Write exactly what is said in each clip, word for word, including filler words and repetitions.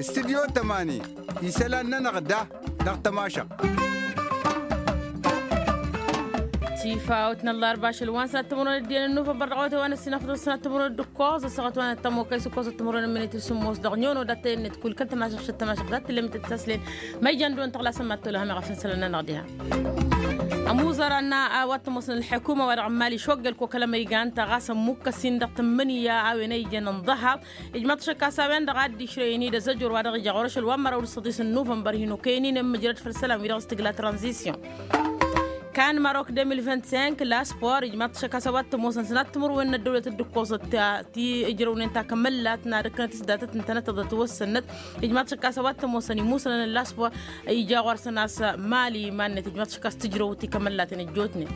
Studyo tămani isălan-nănăɣ da dăɣ-tămašăɣt. Tifa awăt n-ăllarba ašăl wa n-sănat timǝrwen d-iyyăn n-nuvănbăr dăɣ-awătay wa n-ăssinăfăḍ sănat timǝrwen d-ǝkkoẓ ăssaɣăt wa n-ăttămokăy s-ǝkkoẓăt timǝrwen n-minit s-sǝmmos dăɣ-nyono dat-tăyănnet kull kăl-tămašăɣt s-ăttămašăɣt dat-tǝllem itǝttaslen. Ma ijăn dăɣ-wăn tăɣlasăn mad-tolăhăm iɣăf n-isălan-nănăɣ diha. Ămuẓăr a-wa t-ămoosăn ălḥukuma wa dăɣ-n mali šoggăl kokălăm iga ǝnta ɣas ămmukkăs-in dăɣ-tǝmmǝnǝya a-wen a ijăn n-ḍăhaḍ. Ijmăḍ šăkkas a-wen-dăɣ a dd-išrăyăn-dd azăjor wa dăɣ-ija ɣur-ašăl wa n-măraw d-săḍis n-nuvănbăr hin-okăyăn-in ǝmmǝjrăd făll-isălan-wi-dăɣ s-tǝgla tranzisyon. Kan marok deux mille vingt-cinq la sport ijmăḍ šăkkas a-wa t-ămoosăn sănat timǝrwen n-ăddăwlăt d-ǝkkoẓăt ti ǝjrăwnen takămăllat n-ad-ǝkkănăt s-datăt ǝntănăt tăḍăt wăssănnăt. Ijmăḍ šăkkas a-wa t-ămoosăn imusănăn n-la sport ija ɣur-săn a-s mali iman-net ijmăḍ šăkkas tǝjrăwt i-kămăllaten ăjjootnen.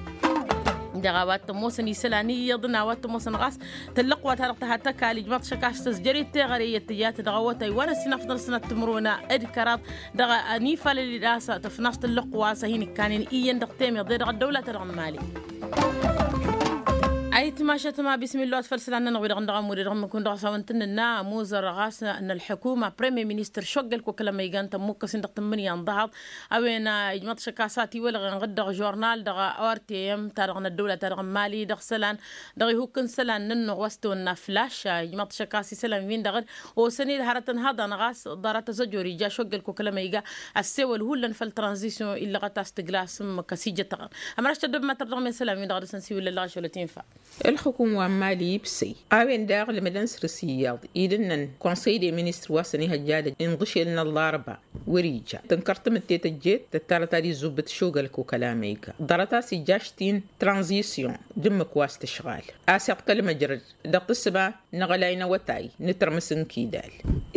Dăɣ-a-wa t-ămoosăn isălan iyyăḍ n-a-wa t-ămoosăn ɣas tăllăqwa ta dăɣ-tăhăt ăkall ijmăḍ šăkkas tăzjăr-dd teɣăre i-ăttăjat dăɣ-awătay wa n-ăssinăfḍăn sănat timǝrwen d-kăraḍ. Dăɣ-anifalăl-dd a-s tăfnasăt tăllăqwa a-s a hin-ǝkkanen iyyăn dăɣ-temeḍe dăɣ-ăddăwla ta-dăɣ n-mali. Ayǝtmašăt ma bismillah wa t-făll-isălan-nănăɣ wi-dăɣ n-dăɣ-ămmude dăɣ-mǝkun dăɣ-s a-wa n-tǝnnǝnna ămuẓăr ɣas n-ălḥukuma premier ministăr šoggăl kokălăm iga n-tămmukkăs-in dăɣ-tǝmmǝnǝya n-ḍahaḍ. A-wen ijmăḍ šăkkas a tiwălɣen ɣǝd dăɣ-žurnal dăɣ-orteyăm ta dăɣ-năddăwla ta dăɣ-n mali dăɣ-isălan dăɣ-ihukk n-isălan-nănăɣ wa s-tawănna flaš. Ijmăḍ šăkkas isălan-win-dăɣ d-osăn-dd hărătăn hăḍăn ɣas ḍarăt azăjor ija šoggăl kokălăm iga ăssewăl hullan făll-tranzisyon illăɣăt a-s tǝgla s-ǝmmǝk ăsijătăɣăn. Ămăraš tăddăbmătăr dăɣ-mesălan-win-dăɣ dăr-săn siwǝllăl dăɣ-ašăl wa t-infa. Ǝlxǝkum wa n-mali ibsăy a-wen daɣ lǝmǝdăn săr-s iyyăḍ idǝnnăn konsăy de ministăr wa s-ănihăjja dăj-inḍǝšel n-ăllarba wăr-ija tǝnkăr tamǝtte tăjjet tăttarăt ad-izubbǝt šogălkuk ălamăyga ḍarăt a-s ija aštin tranzisyon d-ǝmmǝk wa s-tǝšɣal a-s iḍkăl măjrăd dăɣ-tǝssǝba n-aɣălay n-awătay n-tărmǝs n-kidal.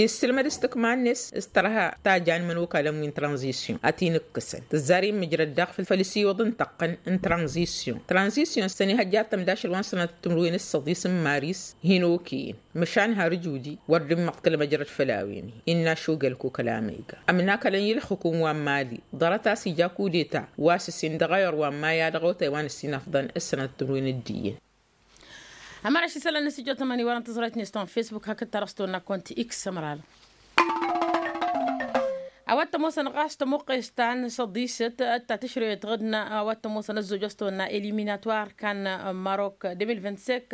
Issǝlmăd s-tǝkma-net s-tărha ta jan imănokalăn wi n-tranzisyon ad-t-in-ǝkkǝsăn tǝzzar immǝjrăd daɣ făll-isiwǝḍ n-tăqqăn n-tranzisyon tranzisyon s-ănihăjja ad-tămda ašăl wa n-sănatăt timǝrwen d-săḍis n-maris hin-okăyăn măšan har ǝjudi wăr dd-immăḍkăl măjrăd făll-a-wen-hi innă ašugăl kokăl amăyga ămnakălăn i-ǝlxǝkum wa n-mali ḍarăt a-s ija kudeta wa s-ǝssin dăɣ-ayăr wa n-maya dăɣ-awătay wa n-ǝssin afḍăn s-sănatăt timǝrwen d-iyyăn. Ămăraš isălan n-asǝjjot n-ămani wărăn tǝẓrăyt-net ta n-facebook hakd ta dăɣ-s tăwănna kont x ămăra-dăɣ. A-wa t-ămoosăn ɣas tămuqqes ta n-săḍisăt ta tǝšrăyăt ɣǝdna a-wa t-ămoosăn ăzzoj a-s tăwănna eliminatwar kan marok deux mille vingt-cinq.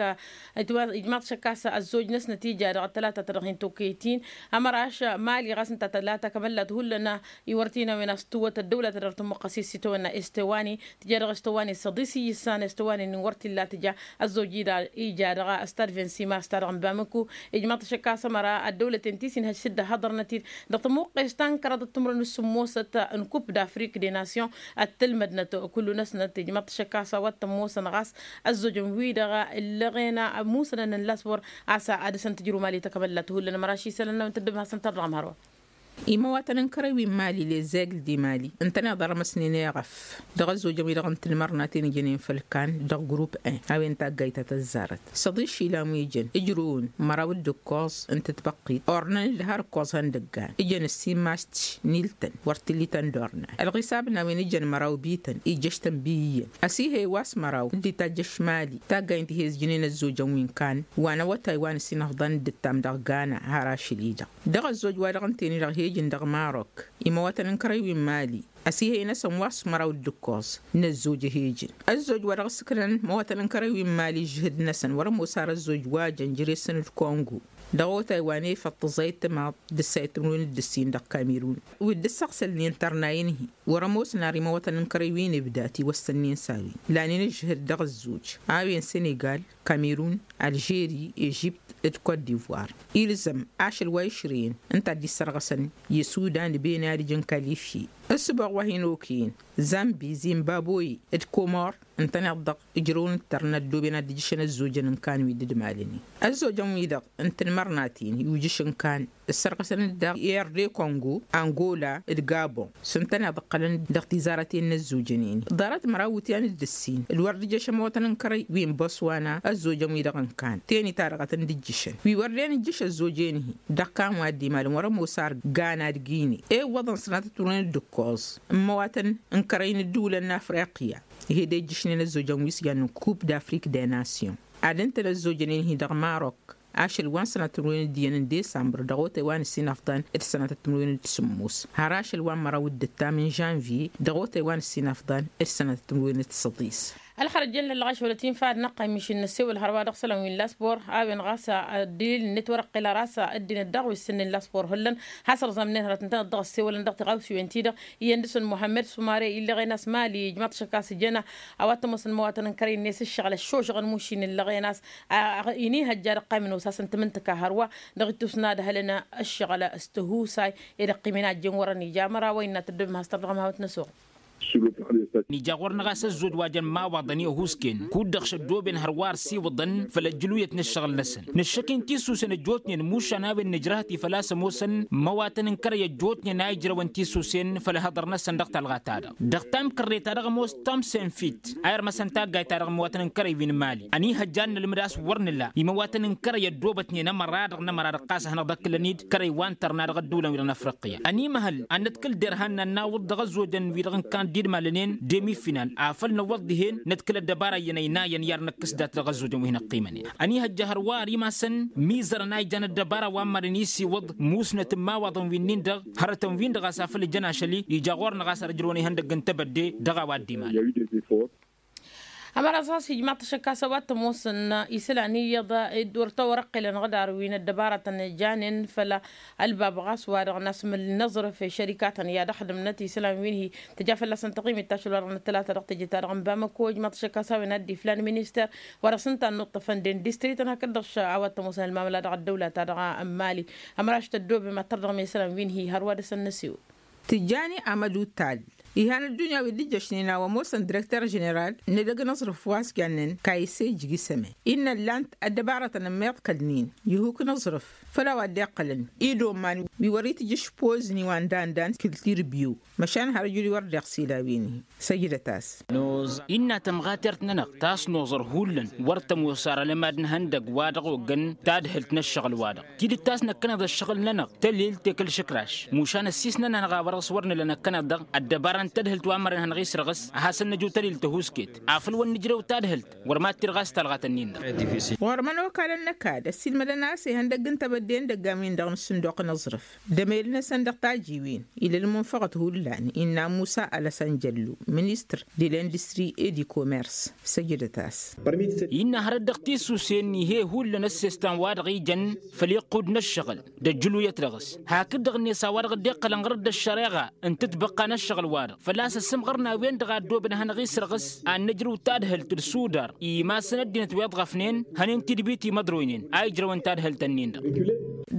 Ijmaḍ šăkkas ăzzoj-năsnăt ija dăɣ-tălata ta dăɣ-hin-tokăyăt-in ămăraš mali ɣas ǝnta tălata kămăllat hullan iwărtin a-wen a-s tǝwwăt ăddăwla ta dăɣ-tămuqqăs i-s itawănna estewani tǝja dăɣ-estewani săḍis iyyǝssan estewani n-wăr t-illa tǝja. Ăzzoj ija dăɣ-stad vingt-six mars ta dăɣ-nbamǝku. Ijmaḍ-t šăkkas ămăra ăddăwlăten ti s-inhăj s-dd-ăhhăḍărnăt-dd dăɣ-tămuqqes ta n-kăraḍăt timǝrwen s-sǝmmosăt n-kup d-afrik de nasyon. Ăttălmădnăt kullu-năsnăt ijmaḍ-t šăkkas a-wa t-ămoosăn ɣas ăzzojăn-wi-dăɣ ǝllăɣen ămusănăn n-lasbor a-s ad-dăr-săn tǝjrǝw mali takămăllat hullan ămăra ašisălăn n-a-wen tăddǝm hasăn-tăr dăɣ-mărwa. Imăwatăn n-kărăy wi n-mali lezegl di mali ǝntăneḍ armăsnen eɣăf dăɣ-ăzzojăn wi-dăɣ n-tǝlmărnaten ijănen făll-kan dăɣ-grup en a-wen taggayt ta tăzzarăt săḍiš ilan wi jăn ǝjrǝwăn măraw d-ǝkkoẓ n-tǝtbăqqit ornăn-dd har ǝkkoẓ hăn dăggan ijăn ǝssin mastš n-iltăn wăr t-ǝllităn d-ornan ălɣisab n-a-wen ijăn măraw bităn ijjăš-tăn bi iyyăn ăsihăy wa s-măraw dd-itajjăš mali taggayt n-tihezjǝnen ăzzojăn wi n-kan wa n-awătay wa n-ǝssin ăfḍăn dd-ǝttam dăɣ-gana har ašăl-i-dăɣ. Dăɣ-ăzzoj wa dăɣ-ǝnten-i-dăɣ hejǝn dăɣ-marok imăwatăn n-kărăy wi n-mali ăsihăy-năsăn wa s-măraw d-ǝkkoẓ n-ăzzoj ehejǝn ăzzoj wa dăɣ-ǝssǝknăn imăwatăn n-kărăy wi n-mali ǝžžǝhǝd-năsăn wăr-ămoos ar ăzzoj wa jăn jere-săn d-kongo dăɣ-otay wa n-efăḍ tǝẓayt timaḍ d-ǝssayăt timǝrwen d-ǝssin dăɣ-kamerun wi dd-ǝssăɣsălnen tărnayen-hi wăr-ămoosăn ar imăwatăn n-kărăy wi n-ibda tiwăssănnen s-a-wen lanen ǝžžǝhǝd dăɣ-ăzzoj a-wen senegal kamerun alžeri ežipt d-kot divoir ilzăm ašăl wa išrǝyăn ǝnta a dd-issărɣăsăn i-sudan d-bene ad-ǝjǝn kalifye ǝssǝboɣ wa hin-okăyăn zambi zimbaboye d-komor ǝntăneḍ-dăɣ ǝjrăwăn d-tărna ăddooben ad-dd-ǝjjǝšăn ăzzojăn n-kan wi dd-ǝmalănen ăzzojăn-wi-dăɣ n-tanmărnaten i-ujǝš n-kan ǝssărɣăsăn-dd daɣ i-erde kongo angola d-gabon s-ǝntăneḍ ǝqqălăn dăɣ-tizarăten n-ăzzojănen-i ḍarăt măraw iwǝtyan d-ǝssin d-wăr dd-ǝjjăš ămawătăn n-kărăy wi n-băswana ăzzojăn-wi-dăɣ n-kan teni-ta-dăɣ a tăn-dd-ǝjjǝšăn wi wăr den ǝjjǝš ăzzoj-en-hi dăɣ-kan wa dd-imalăn wăr-ămoos ar gana d-gine ewwăḍăn sănatăt turnen d-ǝkkoẓ n-imăwatăn n-kărăy n-ǝddǝwǝlăn n-afriqya ih'-ed ejjǝšnen ăzzojăn wi s-jannen kup d-afrik de nasyon ad-ǝntăn ăzzojăn-en-hi dăɣ-marok ašăl wa n-sănatăt timǝrwen d-iyyăn n-desambăr dăɣ-otay wa n-ǝssin afḍan d-sănatăt timǝrwen d-sǝmmos har ašăl wa n-măraw d-ǝttam n-žănvye dăɣ-otay wa n-ǝssin afḍan d-sănatăt timǝrwen d-săḍis. Ălxărăt jăn lăllăɣ ašăl wălăt infa ad-năqqay mišǝl n-ăssewăl hărwa dăɣ-isălan wi n-laspor a-wen ɣas ăddilil-net wăr-ăqqel ar a-s ăddinăt daɣ wi s-sǝnnen laspor hullan. Hasărẓam-net hărăt-ǝntăneḍ dăɣ-ăssewălăn dăɣ-tiɣawsiwen-ti-dăɣ iyyăn dăɣ-săn muhammed sumare illăɣen a-s mali ijmaḍ-t ašăk a-s jăn awăt ămoosăn imăwatăn n-kărăy-net ǝššăɣǝl ăššošăɣăn mušin illăɣen a-s. Inihăjja dăɣ-qamǝn osasăn tamǝntǝka hărwa dăɣ-ittus n-ad-hălăn ǝššăɣǝl s-tihusay. Ed ăqqim-in a ăjjeen wăr-ănija măra wa innă tăddobem has-tărdăɣăm hawăn-t-năsoɣ. Nǝja ɣur-năɣ a-s ăzzoj wa jăn imawaḍăn i-ăhuusken kud-dăɣ šăddoben hărwa ărsiwǝḍăn făll-ăjjǝluyăt n-ǝššăɣǝl-năsăn. Nǝššăk-in tisusen ăjjootnen mušan a-wen nǝjrăhăt-i făl-a-s ămoosăn imăwatăn n-kărăy ăjjootnen a ijrăwăn tisusen făll-ehăḍăr-năsăn dăɣ-talɣa-ta-dăɣ dăɣ-tamkărre-ta-dăɣ ămoos tom senfit a irmăsăn taggayt-ta-dăɣ imăwatăn n-kărăy wi n-imali. Ăniihăjja ad-nălmǝd a-s wăr nǝla imăwatăn n-kărăy ăddoobătnen ămăra-dăɣ n-ămăra-dăɣ ɣas ad-hanăɣ-dd-ăkkǝlăn-dd kărăy wa n-tărna dăɣ-ăddulăn-wi-dăɣ n-afriqya. Ănimăhăl ad-năḍkǝl derhan n-ad-nawǝḍ dăɣ-ăzzojăn wi-dăɣ n-kandid malănen demi-final afăl năwwăḍ dihen năḍkǝl ăddăbara iyyăn ăynayăn i-ad-năkkǝs dat-dăɣ ăzzojăn wi hin-ăqqimănen. Ăniihăjja hărwa ar imasăn mizărăn a ijăn ăddăbara wa n-marăn isiwǝḍ musnăt n-imawaḍăn wi-nin-dăɣ hărătăn-win-dăɣ a-s afăl ǝjăn ašăl-i ija ɣur-năɣ a-s ar ǝjrăwăn ihăndăgg n-tebădde dăɣ-a-wa dd-imalăn. Ămăra ɣas ijmaḍ-t ašăk a-s a-wa t-ămoosăn isălan iyyăḍ dd-wăr tawărăqqelăn ɣǝdar wi n-ăddăbaratăn janen făll-ălbab ɣas wa-dăɣ n-asmǝl n-aẓrǝf i-šărikatăn i-ad-ăxdǝmnăt isălan wi n-hi tǝja fălla-săn taɣimit tašăl wa-dăɣ n-ăttălata dăɣ-teje-ta-dăɣ n-bamăko ijmaḍ-t ašăk a-s a-wen ad-dd-iflan minister wa dăɣ-s ǝnta a ănnuṭṭăfăn d-industri-tăn hakd-dăɣ a-wa t-ămoosăn ălmamăla dăɣ-ăddăwla-ta-dăɣ n-mali. Ămăraš tăddobem ad-tărdăɣăm i-isălan wi n-hi hărwa dăr-săn n-asewăl. Tǝjjani amădutal ihan ăddunya wi dd-ǝjjăšnen a-wa ămoosăn direkter ženeral n-edăgg n-aẓrǝf wa s-jannen kayse ǝjjǝg isăme innă ǝllan-t ăddăbarătăn ămmiḍ kăl-nin ihuk n-aẓrǝf făll-a-wa dd-iqqălăn idoman wi wăr-itǝjjǝš pozni wa n-dandan kǝltir biyu. Măšan har ǝjǝl-i wăr deɣ s-ila wi-ni săjdăt-as. Innă tămɣatert-nănăɣ ta s-noẓăr hullan wăr tămoos ar ălămad n-ihăndăgg wa dăɣ-oggăn tadhǝlt n-ăššăɣǝl-wa-dăɣ tidǝt ta s-năkkăneḍ ăššăɣǝl-nănăɣ tălil tekǝl šǝkraš. Mušan ăssiis-nănăɣ a-wa dăɣ-s wăr nǝla năkkăneḍ-dăɣ ăddăbara n-tadhǝlt wa n-mărăn hanăɣ-isrăɣǝs ad-hasăn-nǝju tălil tăhuusket afăl wăr nǝjrew tadhǝlt wăr mad-tirɣas talɣat-ǝnnin-dăɣ. Ɣur-mănokalăn n-ăkall ăssiilmădăn a-s ihăndăgg n-tebădde n-idăggan wi n-dăɣ n-ǝssǝnduq n-aẓrǝf d-emel-năsăn dăɣ-tajiwen ila ălmunfăɣăt hullan innă musa alăsăn jăllu ministăr de l'industri et du commerce. Săjdăt-as. Innă hărăt dăɣ-tisusen ih'-e hullan ăssestan wa dăɣ-ijăn făll-iqqud n-ăššăɣǝl d-ăjjǝluyăt dăɣ-s hakd-dăɣ-net a-wa dăɣ-dd-iqqălăn ɣur-dd ăššăreɣa n-tǝtbăqqa n-ăššăɣǝl-wa-dăɣ făl-a-s ăssǝmɣăr n-a-wen-dăɣ a ăddooben ad-hanăɣ-isrăɣǝs ad-nǝjrǝw tadhǝlt d-sudar imasăn ăddinăt wi ăḍɣăfnen hănen tidbit imăḍroynen a ijrăwăn tadhǝlt-ǝnnin-dăɣ.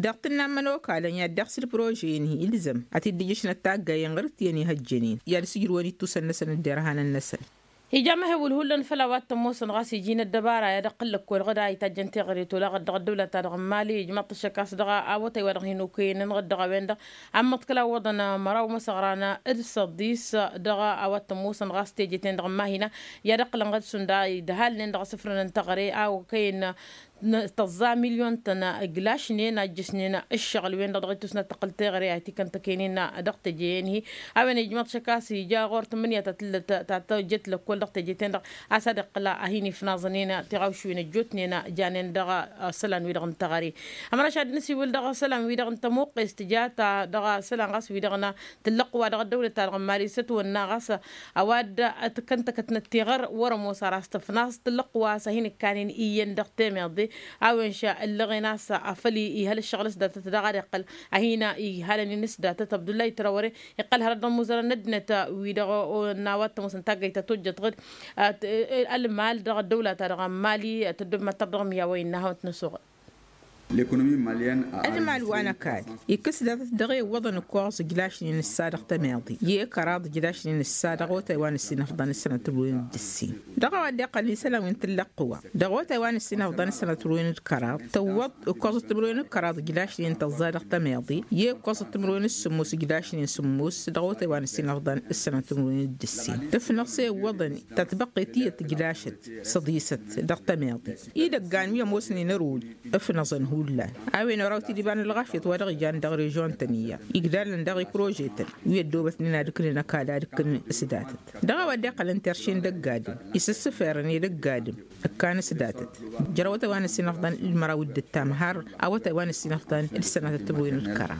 Dăɣ-tǝnna n-imănokalăn i-ad-dăɣ s-ǝlprože-in-hi ilzăm ad-t-dd-ǝjjǝšnăt taggayen ɣur-t iyyăn ihăjjănen i-ad-sǝjrǝwăn ittusăn-năsăn d-derhanăn-năsăn. Ija amăhewǝl hullan făll-a-wa t-ămoosăn ɣas iji n-ăddăbara i-ad-iqqǝl lăkkol ɣǝd a itajjăn teɣăre tolaɣăt dăɣ-ăddăwlăt-ta-dăɣ n-mali ijmaḍ-t ăššăk a-s dăɣ-awătay wa dăɣ-hin-okăyăn ănɣăd dăɣ-a-wen-dăɣ ămmăḍkăl a ǝwwăḍăn măraw măsăɣran d-săḍis dăɣ-a-wa t-ămoosăn ɣas teje-ten-dăɣ n-mahina i-ad-ǝqqǝlăn ɣǝd šund a idhalnen dăɣ-asǝfrăn n-teɣăre a okăyăn tăẓẓa milyon-tăn iglašnen a ǝjjǝsnen ǝššăɣǝl-wen-dăɣ dăɣ-ittusnăt tăqqǝl teɣăre a itikăntăken-in dăɣ-teje-en-hi. A-wen ijmăḍ šăk a-s ija ɣur-tǝmmǝnǝya ta tǝllăt ta tăjjăt lăkkol dăɣ-teje-ten-dăɣ a-s ad-iqqǝl a hin-ifnaẓăn-in tiɣawšwen ăjjootnen janen dăɣ-isălan-wi-dăɣ n-teɣăre. Ămraš ad-nǝsiwǝl dăɣ-isălan-wi-dăɣ n-tămuqqest tija ta dăɣ-isălan ɣas wi-dăɣ n-tǝllăqq wa dăɣ-ăddăwlăt-ta-dăɣ n-mali s-ătwănna ɣas a-wa dd-tǝkkăn-tăkătnăt tiɣăr wăr-ămoos ar a-s tǝfnaẓ tǝllăqq wa s-a hin-ǝkkanen iyyăn dăɣ-temeḍe. A-wen ša ǝllăɣen a-s afăl ihăl ǝššăɣǝl s-datăt daɣ ad-iqqăl a hin-ihalăn-in s-datăt abdullay trawăre iqqăl hărăt dăɣ-imuzărăn n-ăddinăt-wi-dăɣ n-a-wa t-ămoosăn taggayt ta tojjăt ɣǝd ălmal dăɣ-ăddăwla-ta-dăɣ n-mali tăddob mad-tărdăɣ miyawăy n-nahawăn-t n-ăsoɣăl. Ălmal wa n-ăkall ikkǝs datăt dăɣ-e iwwăḍăn ǝkkoẓ ǝjlašnen ǝssa dăɣ-tămeḍe i-kăraḍ ǝjlašnen ǝssa dăɣ-otay wa n-ǝssin ăfḍăn d-sănatăr wen d-ǝssin. Dăɣ-a-wa dd-iqqălăn isălan wi n-tǝllăqqǝwa dăɣ-otay wa n-ǝssin ăfḍăn d-sănatăr wen d-kăraḍ tǝwwăḍ ǝkkoẓăt timǝrwen d-kăraḍ ǝjlašnen tăẓẓa dăɣ-tămeḍe i-ǝkkoẓăt timǝrwen d-sǝmmos ǝjlašnen sǝmmos dăɣ-otay wa n-ǝssin ăfḍăn d-sănatăr wen d-ǝssin. Tǝfnăɣ s-e iwwăḍăn tatbăqqet iyyăt tǝjlašăt săḍisăt dăɣ-tămeḍe idăggan wi ămoosnen ărud ǝfnăẓăn. Hullan a-wen oraw t-dd-iba n-ălɣafyăt wa dăɣ-ijan dăɣ-režion-tăn iyyăḍ igdalăn dăɣ-iprože-tăn wi ăddoobătnen ad-ǝknen ăkall ad-ǝkkǝn s-datăt. Dăɣ-a-wa dd-iqqălăn terše n-dăgg-adǝm isǝssǝferăn i-dăgg-adǝm ǝkkan s-datăt. Jăr-awătay wa n-ăssinăfḍan d-măraw d-ǝttam har awătay wa n-ăssinăfḍan d-sănatăt tǝbwin ǝlkăra.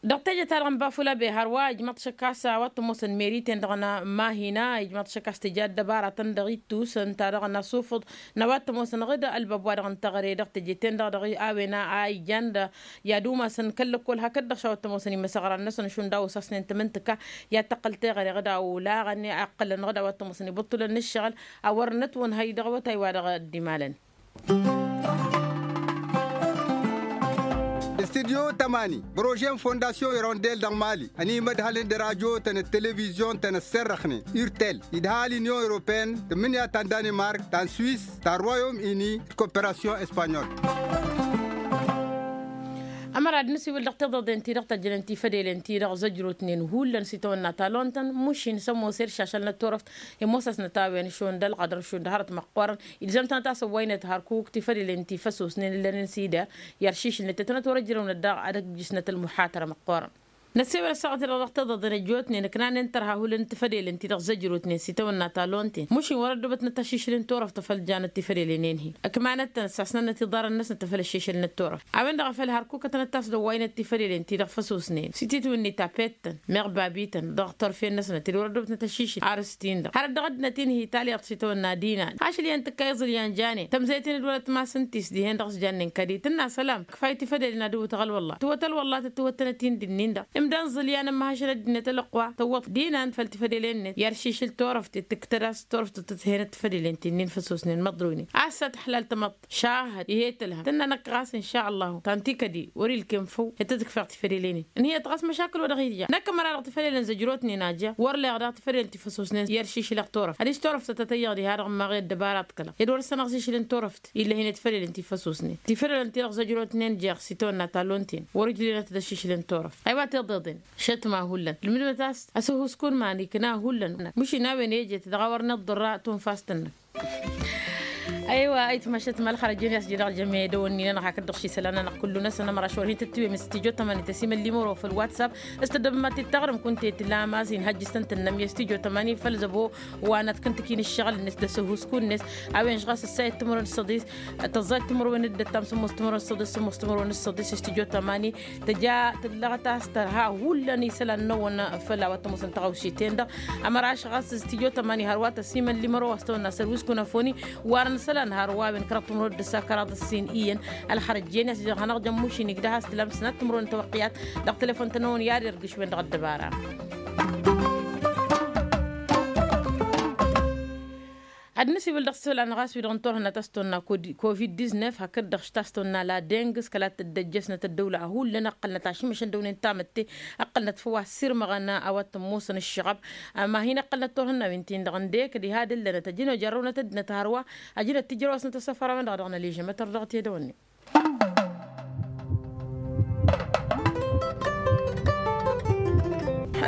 Dăɣ-teje-ta-dăɣ n-bafulabe hărwa ijmăḍ-t šăkk a-s a-wa t-ămoosăn meri-ten-dăɣ n-mahina ijmăḍ-t šăkk a-s tǝja ăddăbaratăn dăɣ-ittus ǝnta-dăɣ n-asufǝḍ n-a-wa t-ămoosăn ɣǝd ălbab wa-dăɣ n-teɣăre dăɣ-teje-ten-dăɣ dăɣ-a-wen a ijan d-i-ad-umasăn kăl-lăkkol hakd-dăɣ šawăt tămoosăn imăsăɣran-năsăn šund a osasnen tamǝntǝka i-ad-tăqqăl teɣăre ɣǝd a olaɣăn iqqălăn ɣǝd a-wa tămoosăn ibǝṭṭulăn n-ǝššăɣǝl. A wăr nătwănhăy dăɣ-awătay wa dăɣ-dd-imalăn. Studyo tămani, prože n-fondasyon irondel dăɣ-mali ănimădhălăn d-radyo-tăn d-televizyon-tăn ăsserrăxnen urtel idha l-inyon europeyăn tǝmmǝnǝya ta n-danimark ta n-swis ta n-royom ini d-koperasyon espanyol. Ămăra d-nǝsiwǝl dăɣ-tiḍăḍen-ti-dăɣ tăjjănen tifădelen-ti-dăɣ zăjrotnen hullan s-itawănna talon-tăn mušin s-ămoos i-ălšašălnăt turăft i-ămoos-asnăt a-wen šund ălɣădăr šund hărăt măqqoorăn ilzăm-tănăt a-s ăwwăynăt hărkuk tifădelen ti făsosnen ǝllănen s-idar i-ăršišǝlnăt tetănăt wăr-ăjrăwnăt daɣ ad-ăjjǝsnăt ălmuḥatără măqqoorăn. Năssewăl ăssaɣăt-i-dăɣ dăɣ-tiḍăḍen ăjjootnen ǝknanen tărha hulăn tifădelen ti dăɣ-zăjrotnen s-itawănna talon-ten mušin wăr-ăddubătnăt ašišǝl n-turăft a făl janăt tifădelen-en-hi. Ǝkmanăt-tăn ăssasnănnăt iḍarăn-năsnăt a făl ăššišǝlnăt turăft a-wen-dăɣ a făl hărkukătănăt a-s d-ăwwăynăt tifădelen ti dăɣ-făsosnen s-ititwǝnni tapet-tăn meɣ babităn dăɣ-turfen-năsnăt ed wăr-ăddubătnăt ašišǝl arǝs-tin-dăɣ har ăddăɣăt-năt-in hi-talyaḍt s-itawănna dinan ašăl iyyăn tǝkkay iẓǝl i-ănjanen tămzăyăt-in d-wăr-ătmasăn-t-s dihen-dăɣ s-jannen kădi tǝnna sălam. Kăfay tifădelen ad-ǝwwǝt ăɣăl wălla tǝwwăt ălwăllat tǝwwăt-tănăt-in d-innin-dăɣ imdăn ẓǝlyan ămmăhăšăn ăddinăt ălăqwa tǝwwăḍ dinan făll-tifădelen-net i-ăršišǝl turăft tǝktăd a-s turăft tǝtǝthenăt tifădelen ti-nin făsosnen măḍroynen a-s ad-t-ăḥlal tămăḍt šahăd ihi tǝlhăm tǝnna năkk ɣas n-šallahu tanti kădi wăr-ilkem făw i-tăt-ǝkfeɣ tifădelen-in ǝnhǝyăt ɣas măšakǝl wa dăɣ-itja năkk ămăra-dăɣ tifădelen zăjrotnen a ja wăr leɣ daɣ tifădelen ti făsosnen i-ăršišǝlăɣ turăft ad-iš turăft tăt-tăyyăɣ diha-dăɣ ǝmmaɣ i-ăddăbarat kăla ed wăr-ăssănăɣ ašišǝl n-turăft ill'-e hin-ătfălălăn ti făsosnen tifălălăn-ti-dăɣ zăjrotnen jer-s itawănna talon-ten wăr-ǝjlilăn ad-tăt-ăššišǝlăn turăft. Aywa tiḍeḍen šătma hullan ǝlmǝdmăt a-s asǝhuskun ma n-ikna hullan măšin a-wen ejet dăɣ-a wăr nǝḍḍărra tunfast-năk. Aywa ayǝtma šătma ălxărăjăn i-a-s jădăɣ jăme dăwănni-nănăɣ hakd-dăɣ ši isălan-nănăɣ kullu-năsăn ămăra šor hin-tǝttǝwem s-tijo tămani tăsimăl limăro făll-whatsapp s-tăddăbăm ad-t-taɣrǝm kunta i-tǝlam a-s inhăjj s-tăn-tǝnnăm i-s tijo tămani făll-zăbo wa nătkǝntǝk-in ǝššăɣǝl-net d-asǝhuskun-net. A-wen-š ɣas ǝssayăt timǝrwen d-săḍis tăẓẓayăt timǝrwen d-ăttam sǝmmos timǝrwen d-săḍis sǝmmos timǝrwen d-săḍis i-s tijo tămani tǝja tǝllăɣăt a-s tărha hullan isălan-năwăn făll-a-wa t-ămoosăn tăɣawse-ten-dăɣ. Ămăra š ɣas s-tijo tămani hărwa tăsimăl limăro wa s-tăwănna săr wi s-kunăfoni wa nǝsălan hărwa a-wen kăraḍ timǝrwen d-ǝssa kăraḍ ǝssin iyyăn. Ălxărăjjen i-a-s jăr hanăɣ-jăn mušin igdăh a-s tǝlam sănat timǝrwen tăwăqqiyat dăɣ-telefon-tăn-năwăn i-ad-irgǝšwen dăɣ-ăddăbara. Ad-nǝsiwǝl dăɣ-isălan ɣas wi-dăɣ n-turhǝnna ta s-tăwănna covid-diznef hakd-dăɣ š ta s-tăwănna la deng s-kăla t-dd-ăjjăsnăt ăddăwla hullan ăqqălnăt ašmăšăn dăw-nen tamătte ăqqălnăt făw a ăssirmăɣăn a-wa t-ămoosăn ǝššăɣăb. Ama hin-ăqqălnăt turhǝnna wi n-tin-dăɣ ǝndek diha d-ǝllănăt ăjǝn ojărrăwnăt ăddinăt hărwa ăjǝnăt tǝjrăw-asnăt asăfărawen-dăɣ dăɣ-nălijămătăr dăɣ-tedăwănnen.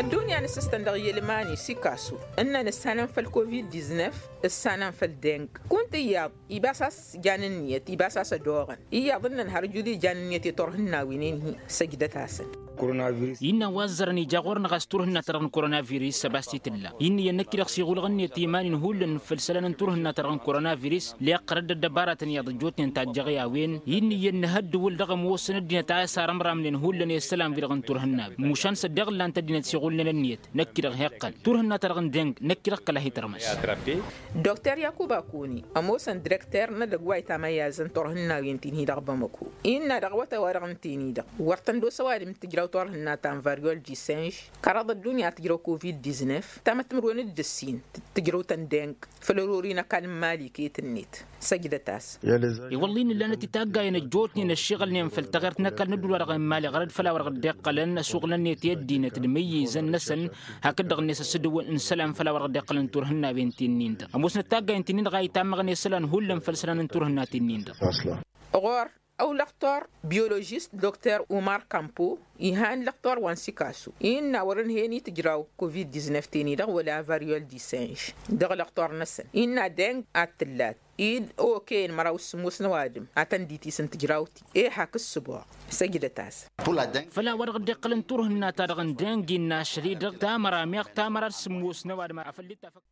Ăddunya n-asǝstăn dăɣ-yelmani s-ikasu ǝnnăn ǝssanăn făll-covid-diznef ǝssanăn făll-deng. Kunta iyyăḍ ibas a-s jan ǝnniyăt ibas a-s ădoɣăn iyyăḍ ǝnnăn har ǝjud ijan ǝnniyăt i-turhǝnnawen-in-hi. Săjdăt-asăn. Innă wa ăzzărăn ija ɣur-năɣ a-s turhǝnna-ta-dăɣ n-koronavirus ăbas t-tǝlla. Innă iyyăn năkk-i-dăɣ s-iɣulɣăn-net iman-in hullan făll-isălan n-turhǝnna-ta-dăɣ n-koronavirus leqqărăd ăddăbaratăn iyyăḍ ăjjootnen tajjăɣ i-a-wen. Innă iyyăn nǝhăddǝwǝl dăɣ-ămoosăn ăddinăt a s-arămramnen hullan i-isălan-wi-dăɣ n-turhǝnna. Mušan s-ăddiɣ ǝllan-t ăddinăt s-iɣulnen ǝnniyăt. Năkk-i-dăɣ heqqăn turhǝnna-ta-dăɣ n-deng năkk-i-dăɣ kăla hi-tărmăs. Dokter yakuba kuni ămoosăn direkter n-edăgg wa itamayyazăn turhǝnnawen-tin-hi dăɣ-bamăko innă dăɣ-awătay-wa-dăɣ ǝnta-en-i-dăɣ wăr tăn-dd-osa ăwadǝm d-tǝjraw turhǝnna ta n-varyol disenž. Kăraḍ ăddunya tǝjraw covid-diznef tamăttămărwen d-ǝssin tǝjrăw-tăn deng făll-ărori n-ăkall n-imali iket-net. Săjdăt-as. I-wălla-i n-ǝllanăt i-taggayăn ăjjootnen ăššiɣǝlnen făll-taɣert n-ăkall n-ădduul-wa-dăɣ n-imali ɣărăd făll-a-wa-dăɣ dd-iqqălăn ăsuɣǝlăn-net i-ăddinăt d-imǝyyǝzăn-năsăn. Hakd-dăɣ-net ăsǝdǝwǝl n-isălan făll-a-wa-dăɣ dd-iqqălăn turhǝnnawen ti-nin-dăɣ ămoosnăt taggayăn ti-nin-dăɣ a itammăɣăn i-isălan hullan făll-isălan n-turhǝnna ti-nin-dăɣ. Ɣur- ăwlăɣtor biologist doktor umar kampo, ihan lăɣtor wa n-sikasu innă wăr-ǝnhen i-tǝjraw covid-diznef teni-dăɣ wăla variol disenž dăɣ-lăɣtor-năsăn innă deng ad-tǝllat id oken măraw s-sǝmmos n-ăwadǝm ad-tăn-dd-itis n-tǝjraw-ti. E hak ǝssǝboɣ săjdăt-asăn. Făl-a-wa-dăɣ dd-iqqălăn turhǝnna-ta-dăɣ n-deng innă ašăl-i-dăɣ tamăra meɣ tamăra d-sǝmmos n-ăwadǝm afăl dd-tafăk.